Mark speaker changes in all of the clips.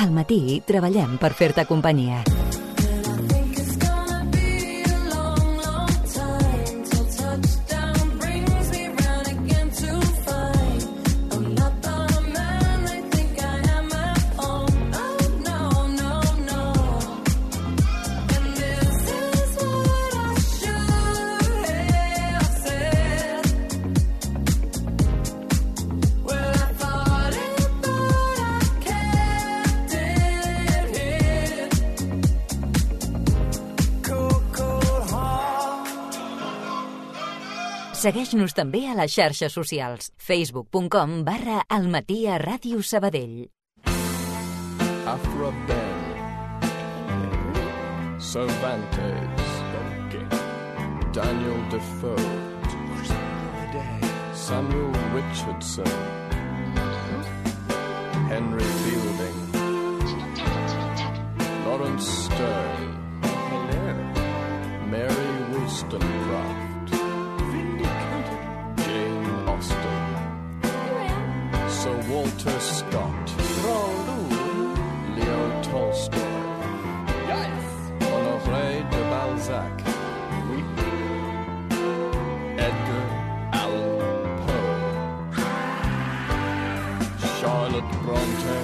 Speaker 1: Al matí treballem per fer-te companyia. Segueix-nos també a les xarxes socials. facebook.com/almatiaradiosabadell.
Speaker 2: Afro-Ben, Cervantes, Daniel Defoe, Samuel Richardson, Henry Fielding, Lawrence Stern, Mary Wollstonecraft, Sir Walter Scott, Leo Tolstoy, Honoré de Balzac, Edgar Allan Poe, Charlotte Bronte,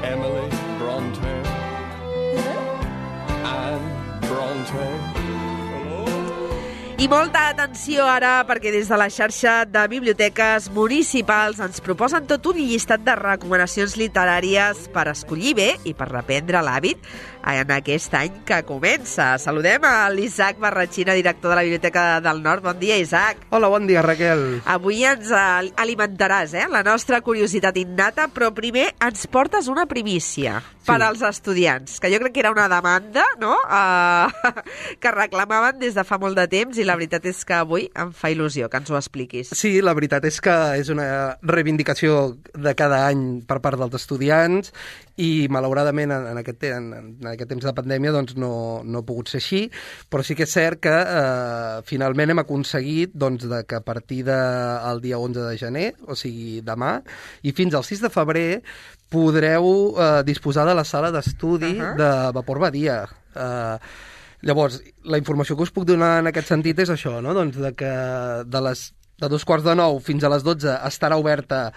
Speaker 2: Emily Bronte, Anne Bronte.
Speaker 3: I molta atenció ara, perquè des de la xarxa de biblioteques municipals ens proposen tot un llistat de recomanacions literàries per escollir bé i per reprendre l'hàbit en aquest any que comença. Saludem a l'Isaac Barratxina, director de la Biblioteca del Nord. Bon dia, Isaac.
Speaker 4: Hola, bon dia, Raquel.
Speaker 3: Avui ens alimentaràs la nostra curiositat innata, però primer ens portes una primícia per als estudiants, que jo crec que era una demanda, no?, que reclamaven des de fa molt de temps, i la veritat és que avui em fa il·lusió que ens ho expliquis.
Speaker 4: Sí, la veritat és que és una reivindicació de cada any per part dels estudiants i malauradament en aquest temps de pandèmia doncs, no ha pogut ser així, però sí que és cert que finalment hem aconseguit doncs, que a partir del dia 11 de gener, o sigui demà, i fins al 6 de febrer podreu disposar de la sala d'estudi de Vapor Badia. Llavors, la informació que us puc donar en aquest sentit és això, no? Doncs que de 2:45 fins a les 12 estarà oberta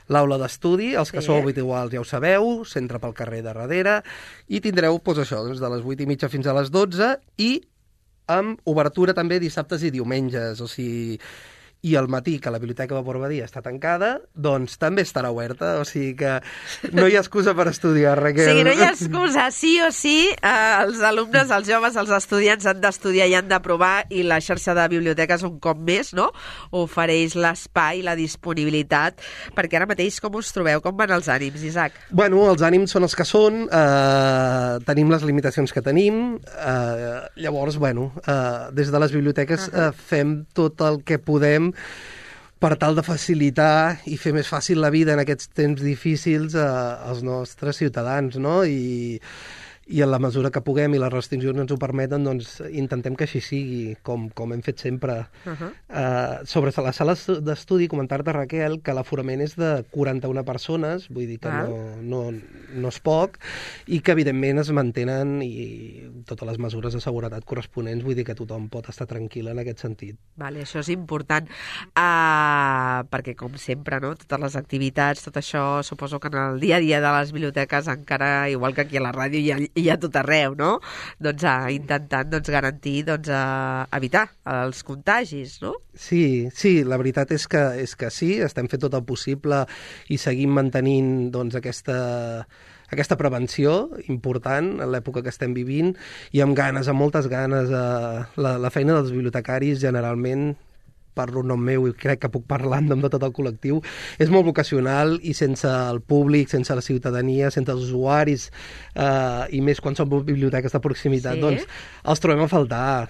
Speaker 4: l'aula d'estudi, els que sou habituals ja ho sabeu, s'entra pel carrer de darrere, i tindreu doncs, això, doncs, de les 8:30 fins a les 12, i amb obertura també dissabtes i diumenges, o sigui, i al matí, que la Biblioteca Vapor Badia està tancada, doncs també estarà oberta, o sigui que no hi ha excusa per estudiar, Raquel.
Speaker 3: O sigui, no hi ha excusa, sí o sí, els alumnes, els joves, els estudiants han d'estudiar i han de provar, i la xarxa de biblioteques un cop més, no?, ofereix l'espai, la disponibilitat, perquè ara mateix com us trobeu? Com van els ànims, Isaac?
Speaker 4: Bueno, els ànims són els que són, tenim les limitacions que tenim, llavors, bueno, des de les biblioteques fem tot el que podem per tal de facilitar i fer més fàcil la vida en aquests temps difícils als nostres ciutadans, no? I en la mesura que puguem i les restriccions ens ho permeten, doncs intentem que així sigui, com hem fet sempre. Sobre les sales d'estudi, comentar-te, Raquel, que l'aforament és de 41 persones, vull dir que no és poc, i que evidentment es mantenen i totes les mesures de seguretat corresponents, vull dir que tothom pot estar tranquil en aquest sentit.
Speaker 3: Vale, això és important, perquè com sempre, no?, totes les activitats, tot això, suposo que en el dia a dia de les biblioteques encara, igual que aquí a la ràdio, hi ha tot arreu, no?, doncs intentant garantir evitar els contagis, no?
Speaker 4: Sí, la veritat és que sí, estem fent tot el possible i seguim mantenint doncs aquesta prevenció important en l'època que estem vivint, i amb ganes, amb moltes ganes. La feina dels bibliotecaris generalment, parlo en nom meu i crec que puc parlar en nom de tot el col·lectiu, és molt vocacional, i sense el públic, sense la ciutadania, sense els usuaris, i més quan són biblioteques de proximitat, doncs els trobem a faltar.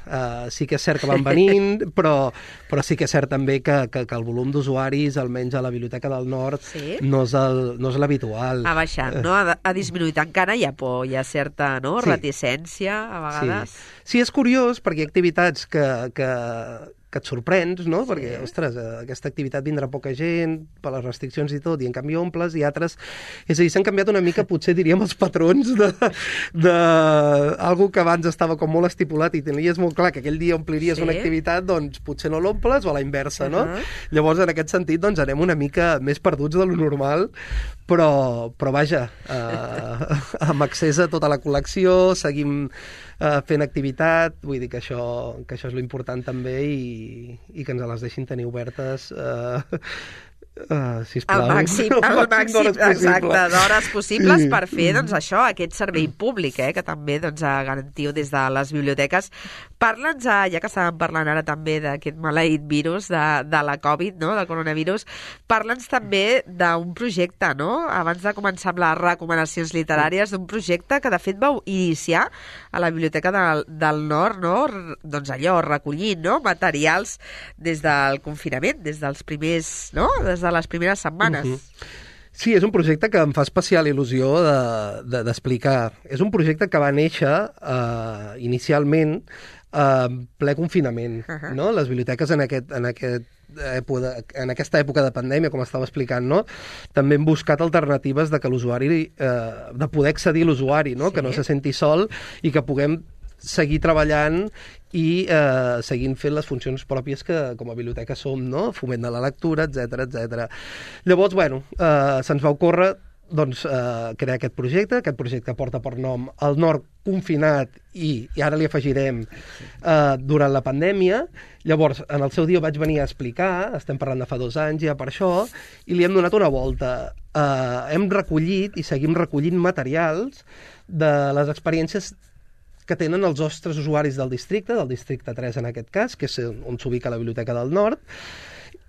Speaker 4: Sí que és cert que van venint, però sí que és cert també que el volum d'usuaris, almenys a la Biblioteca del Nord, no és l'habitual.
Speaker 3: Ha baixat, no? Ha disminuït. Encara hi ha por, hi ha certa reticència, a vegades.
Speaker 4: Sí, és curiós, perquè hi ha activitats que que et sorprens, no? Perquè, ostres, aquesta activitat vindrà poca gent, per les restriccions i tot, i en canvi omples, i altres... És a dir, s'han canviat una mica, potser diríem, els patrons de algo que abans estava com molt estipulat i tenies molt clar que aquell dia ompliries una activitat, doncs potser no l'omples, o a la inversa, no? Llavors, en aquest sentit, doncs anem una mica més perduts de lo normal, però vaja, amb accés a tota la col·lecció, seguim fent activitat, vull dir que això és lo important també i que ens les deixin tenir obertes sisplau.
Speaker 3: Al màxim, exacte, d'hores possibles per fer, doncs, això, aquest servei públic, que també, doncs, garantiu des de les biblioteques. Parla'ns, ja que estàvem parlant ara també d'aquest maleït virus, de la Covid, no?, del coronavirus, parla'ns també d'un projecte, no?, abans de començar amb les recomanacions literàries, d'un projecte que, de fet, vau iniciar a la Biblioteca del Nord, no?, doncs allò, recollint, no?, materials des del confinament, des dels primers, no?, des de les primeres setmanes.
Speaker 4: Sí, és un projecte que em fa especial il·lusió d'explicar. És un projecte que va néixer inicialment en ple confinament, no? Les biblioteques en aquesta època de pandèmia, com estava explicant, no? També hem buscat alternatives de que l'usuari, de poder accedir a l'usuari, no? Que no se senti sol i que puguem seguir treballant i seguint fent les funcions pròpies que com a biblioteca som, no? Foment de la lectura, etc. Llavors, bueno, se'ns va ocórrer doncs, crear aquest projecte porta per nom El Nord confinat i ara li afegirem durant la pandèmia. Llavors, en el seu dia ho vaig venir a explicar, estem parlant de fa 2 anys ja per això, i li hem donat una volta. Hem recollit i seguim recollint materials de les experiències que tenen els nostres usuaris del districte 3 en aquest cas, que és on s'ubica la Biblioteca del Nord,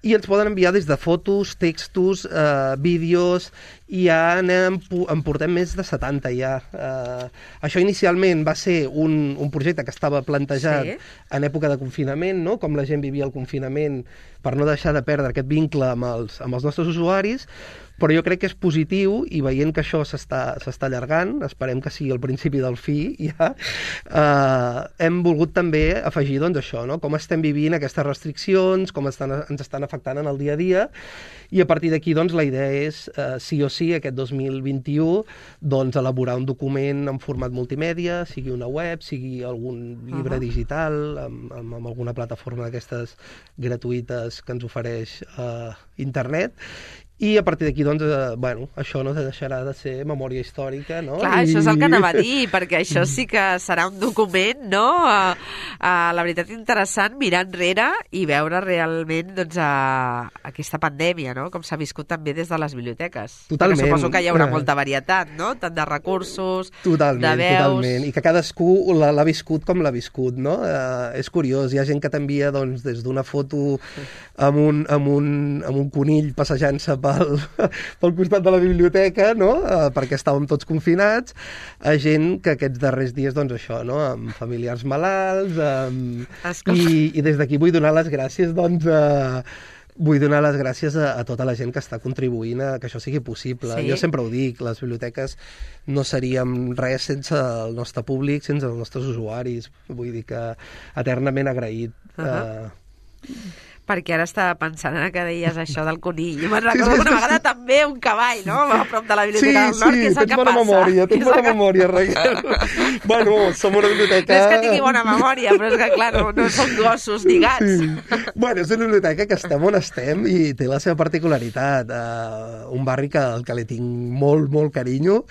Speaker 4: i ens poden enviar des de fotos, textos, vídeos, i ja en portem més de 70 ja. Això inicialment va ser un projecte que estava plantejat en època de confinament, no? Com la gent vivia el confinament per no deixar de perdre aquest vincle amb els nostres usuaris, però jo crec que és positiu i veient que això s'està allargant, esperem que sigui el principi del fi ja, hem volgut també afegir doncs això, no? Com estem vivint aquestes restriccions, com ens estan afectant en el dia a dia, i a partir d'aquí doncs la idea és, sí o sí, aquest 2021, doncs elaborar un document en format multimèdia, sigui una web, sigui algun llibre digital, amb alguna plataforma d'aquestes gratuïtes que ens ofereix internet, i a partir d'aquí, doncs, bueno, això no deixarà de ser memòria històrica, no?
Speaker 3: Clar, això és el que anava a dir, perquè això sí que serà un document, no? La veritat, interessant, mirar enrere i veure realment, doncs, aquesta pandèmia, no? Com s'ha viscut també des de les biblioteques.
Speaker 4: Totalment.
Speaker 3: Perquè suposo que hi haurà molta varietat, no? Tant de recursos, de veus...
Speaker 4: Totalment, i que cadascú l'ha viscut com l'ha viscut, no? És curiós, hi ha gent que t'envia, doncs, des d'una foto amb un conill passejant-se pel costat de la biblioteca, no? Perquè estàvem tots confinats, a gent que aquests darrers dies, doncs això, no? Amb familiars malalts, i des d'aquí vull donar les gràcies, doncs, vull donar les gràcies a tota la gent que està contribuint a que això sigui possible. Jo sempre ho dic, les biblioteques no seríem res sense el nostre públic, sense els nostres usuaris. Vull dir que eternament agraït.
Speaker 3: Perquè ara estava pensant que deies això del conill. Jo me'n recordo una vegada també un cavall, no?, a prop de la Biblioteca del Nord, que és el que passa.
Speaker 4: Tens bona memòria, Raquel. Bueno, som una biblioteca...
Speaker 3: No és que tingui bona memòria, però és que, clar, no són gossos ni gats.
Speaker 4: Bueno, és una biblioteca que estem on estem i té la seva particularitat. Un barri al que li tinc molt, molt carinyo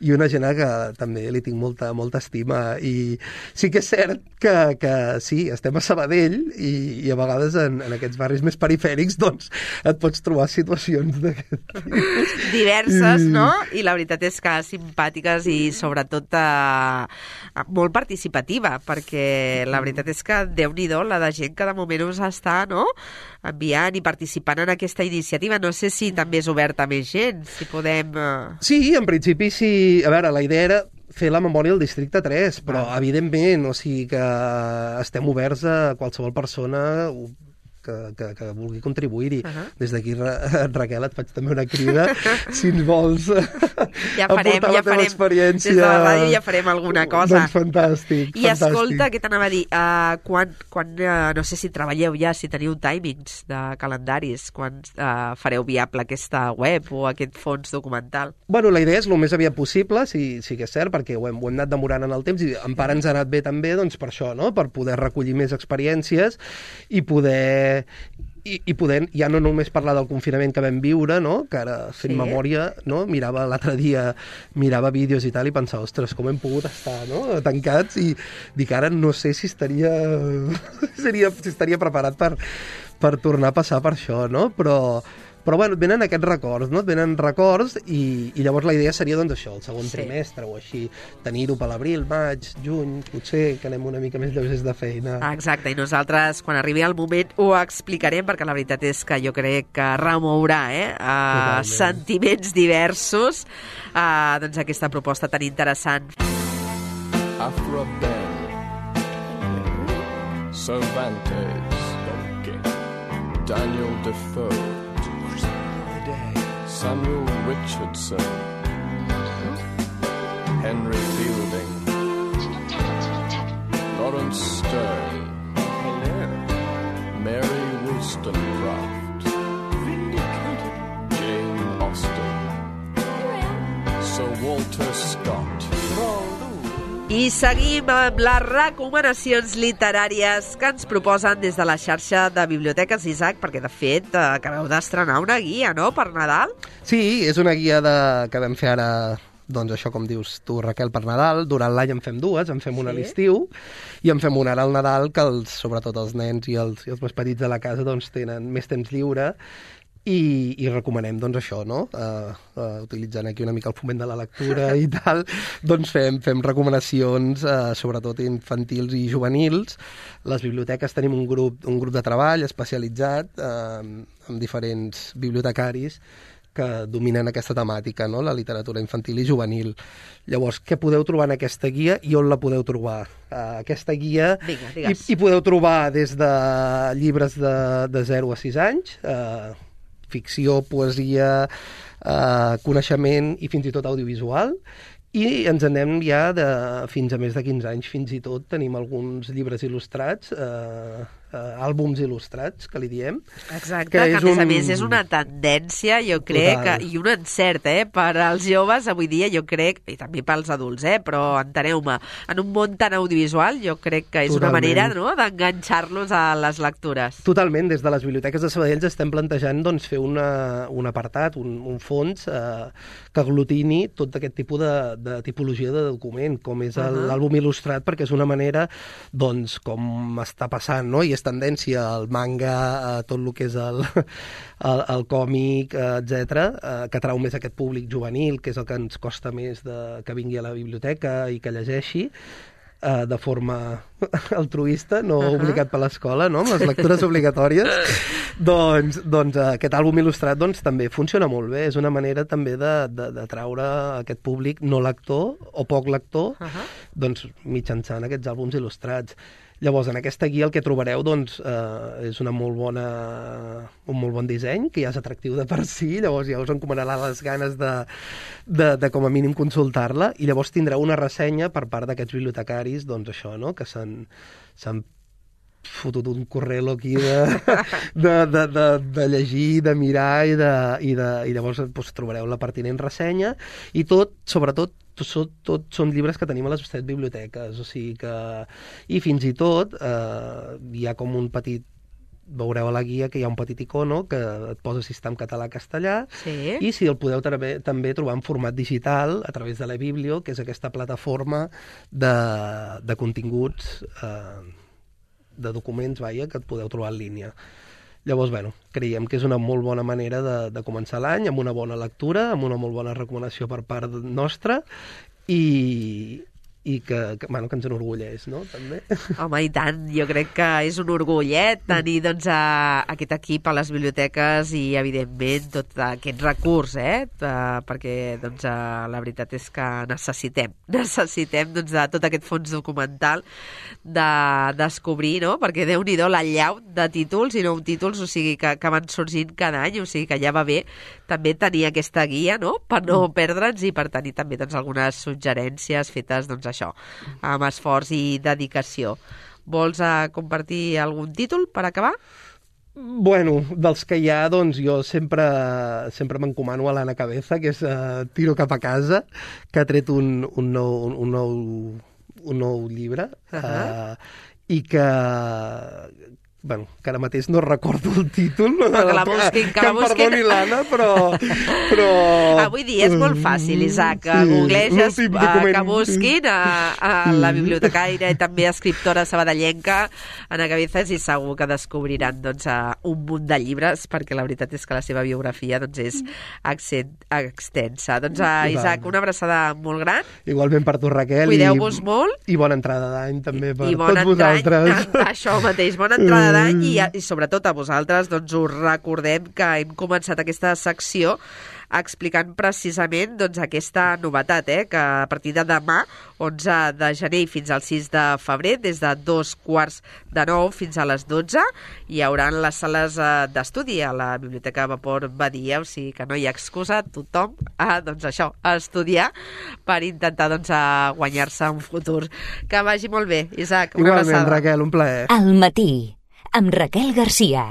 Speaker 4: i una gent que també li tinc molta estima. I sí que és cert que sí, estem a Sabadell i a vegades en aquests barris més perifèrics, doncs, et pots trobar situacions d'aquest tipus.
Speaker 3: Diverses, no? I la veritat és que simpàtiques i, sobretot, molt participativa, perquè la veritat és que, Déu-n'hi-do, la de gent que de moment us està, no?, enviant i participant en aquesta iniciativa. No sé si també és oberta a més gent, si podem...
Speaker 4: Sí, en principi sí. A veure, la idea era fer la memòria al districte 3, però evidentment, o sigui que estem oberts a qualsevol persona que vulgui contribuir-hi. Des d'aquí, Raquel, et faig també una crida, si ens vols aportar la teva experiència.
Speaker 3: Des de la ràdio ja farem alguna cosa.
Speaker 4: Doncs fantàstic.
Speaker 3: I escolta, què t'anava a dir? Quan no sé si treballeu ja, si teniu timings de calendaris, quan fareu viable aquesta web o aquest fons documental?
Speaker 4: Bueno, la idea és el més aviat possible, sí que és cert, perquè ho hem anat demorant en el temps i en part ens ha anat bé també doncs, per això, no? Per poder recollir més experiències i poder ja no només parlar del confinament que vam viure, no? Que ara fent memòria, no? L'altre dia mirava vídeos i tal i pensava, ostres, com hem pogut estar, no? Tancats, i dic, ara no sé si estaria preparat per tornar a passar per això, no? Però bueno, venen aquests records, no? Venen records i llavors la idea seria doncs això, el segon trimestre o així, tenir-ho per l'abril, maig, juny, potser que anem una mica més lleugers de feina.
Speaker 3: Exacte, i nosaltres quan arribi el moment ho explicarem, perquè la veritat és que jo crec que remourà sentiments diversos doncs aquesta proposta tan interessant.
Speaker 2: Afra Ben, Cervantes, Daniel Defoe, Samuel Richardson, Henry Fielding, Lawrence Sterne, Mary Wollstonecraft, Jane Austen, Sir Walter Scott.
Speaker 3: I seguim amb les recomanacions literàries que ens proposen des de la xarxa de biblioteques, Isaac, perquè de fet acabeu d'estrenar una guia, no?, per Nadal?
Speaker 4: Sí, és una guia que vam fer ara, doncs això com dius tu, Raquel, per Nadal. Durant l'any en fem dues, en fem una a l'estiu i en fem una ara al Nadal, que sobretot els nens i els més petits de la casa doncs tenen més temps lliure. I recomanem, doncs, això, no? Utilitzant aquí una mica el foment de la lectura i tal, doncs fem recomanacions, sobretot infantils i juvenils. Les biblioteques tenim un grup de treball especialitzat amb diferents bibliotecaris que dominen aquesta temàtica, no? La literatura infantil i juvenil. Llavors, què podeu trobar en aquesta guia i on la podeu trobar? Aquesta guia hi podeu trobar des de llibres de 0 a 6 anys, ficció, poesia, coneixement i fins i tot audiovisual, i ens anem ja fins a més de 15 anys. Fins i tot tenim alguns llibres il·lustrats, àlbums il·lustrats, que li diem.
Speaker 3: Exacte, que a més és una tendència, jo crec, i un encert, per als joves avui dia, jo crec, i també pels adults, però enteneu-me, en un món tan audiovisual, jo crec que és una manera, no?, d'enganxar-los a les lectures.
Speaker 4: Totalment, des de les biblioteques de Sabadell estem plantejant doncs, fer un apartat, un fons que aglutini tot aquest tipus de tipologia de document, com és l'àlbum il·lustrat, perquè és una manera, doncs, com està passant, no?, i és tendència al manga, a tot el que és el còmic, etc., que atrau més aquest públic juvenil, que és el que ens costa més que vingui a la biblioteca i que llegeixi de forma altruista, no obligat per l'escola, no?, amb les lectures obligatòries. Doncs aquest àlbum il·lustrat també funciona molt bé. És una manera també d'atraure aquest públic no lector o poc lector mitjançant aquests àlbums il·lustrats. Llavors, en aquesta guia el que trobareu és un molt bon disseny, que ja és atractiu de per si, llavors ja us encomanarà les ganes de com a mínim consultar-la, i llavors tindreu una ressenya per part d'aquests bibliotecaris, doncs això, no?, que s'han fotut un correlo aquí de llegir, de mirar i llavors trobareu la pertinent ressenya, i sobretot són llibres que tenim a les 7 biblioteques, o sigui que... I fins i tot hi ha com un petit... Veureu a la guia que hi ha un petit icono que et posa si està en català o castellà, i si el podeu també trobar en format digital a través de la Biblio, que és aquesta plataforma de continguts, de documents, que et podeu trobar en línia. Llavors, creiem que és una molt bona manera de començar l'any, amb una bona lectura, amb una molt bona recomanació per part nostra, i i que ens enorgulleix, no? També.
Speaker 3: Home, i tant, jo crec que és un orgull, tenir doncs, aquest equip a les biblioteques i, evidentment, tot aquest recurs, perquè doncs, la veritat és que necessitem doncs, de tot aquest fons documental de descobrir, no? Perquè Déu-n'hi-do l'allau de títols i nous títols, o sigui, que van sorgint cada any, o sigui que ja va bé també tenir aquesta guia, no? Per no perdre'ns i per tenir també doncs, algunes suggerències fetes doncs, això, amb esforç i dedicació. Vols compartir algun títol per acabar?
Speaker 4: Bueno, dels que hi ha, doncs jo sempre m'encomano a l'Anna Cabeza, que és Tiro cap a casa, que ha tret un nou llibre, i que ara mateix no recordo el títol.
Speaker 3: Però que la busquin, que la busquin.
Speaker 4: Em perdoni l'Anna, però...
Speaker 3: Avui dia és molt fàcil, Isaac, que googleges, que busquin a la bibliotecaire i també escriptora sabadellenca Anna Cabezas, i segur que descobriran doncs, un munt de llibres, perquè la veritat és que la seva biografia doncs, és extensa. Doncs, Isaac, una abraçada molt gran.
Speaker 4: Igualment per tu, Raquel.
Speaker 3: Cuideu-vos molt.
Speaker 4: I bona entrada d'any també per tots vosaltres.
Speaker 3: Això mateix, bona entrada d'any, i sobretot a vosaltres doncs, us recordem que hem començat aquesta secció explicant precisament doncs, aquesta novetat, que a partir de demà, 11 de gener fins al 6 de febrer, des de 8:45 fins a les 12, hi haurà les sales d'estudi a la Biblioteca Vapor Badia, o sigui que no hi ha excusa, tothom doncs això, a estudiar per intentar doncs, guanyar-se un futur. Que vagi molt bé, Isaac, una abraçada.
Speaker 4: Igualment, Raquel, un plaer.
Speaker 1: Al matí, amb Raquel Garcia.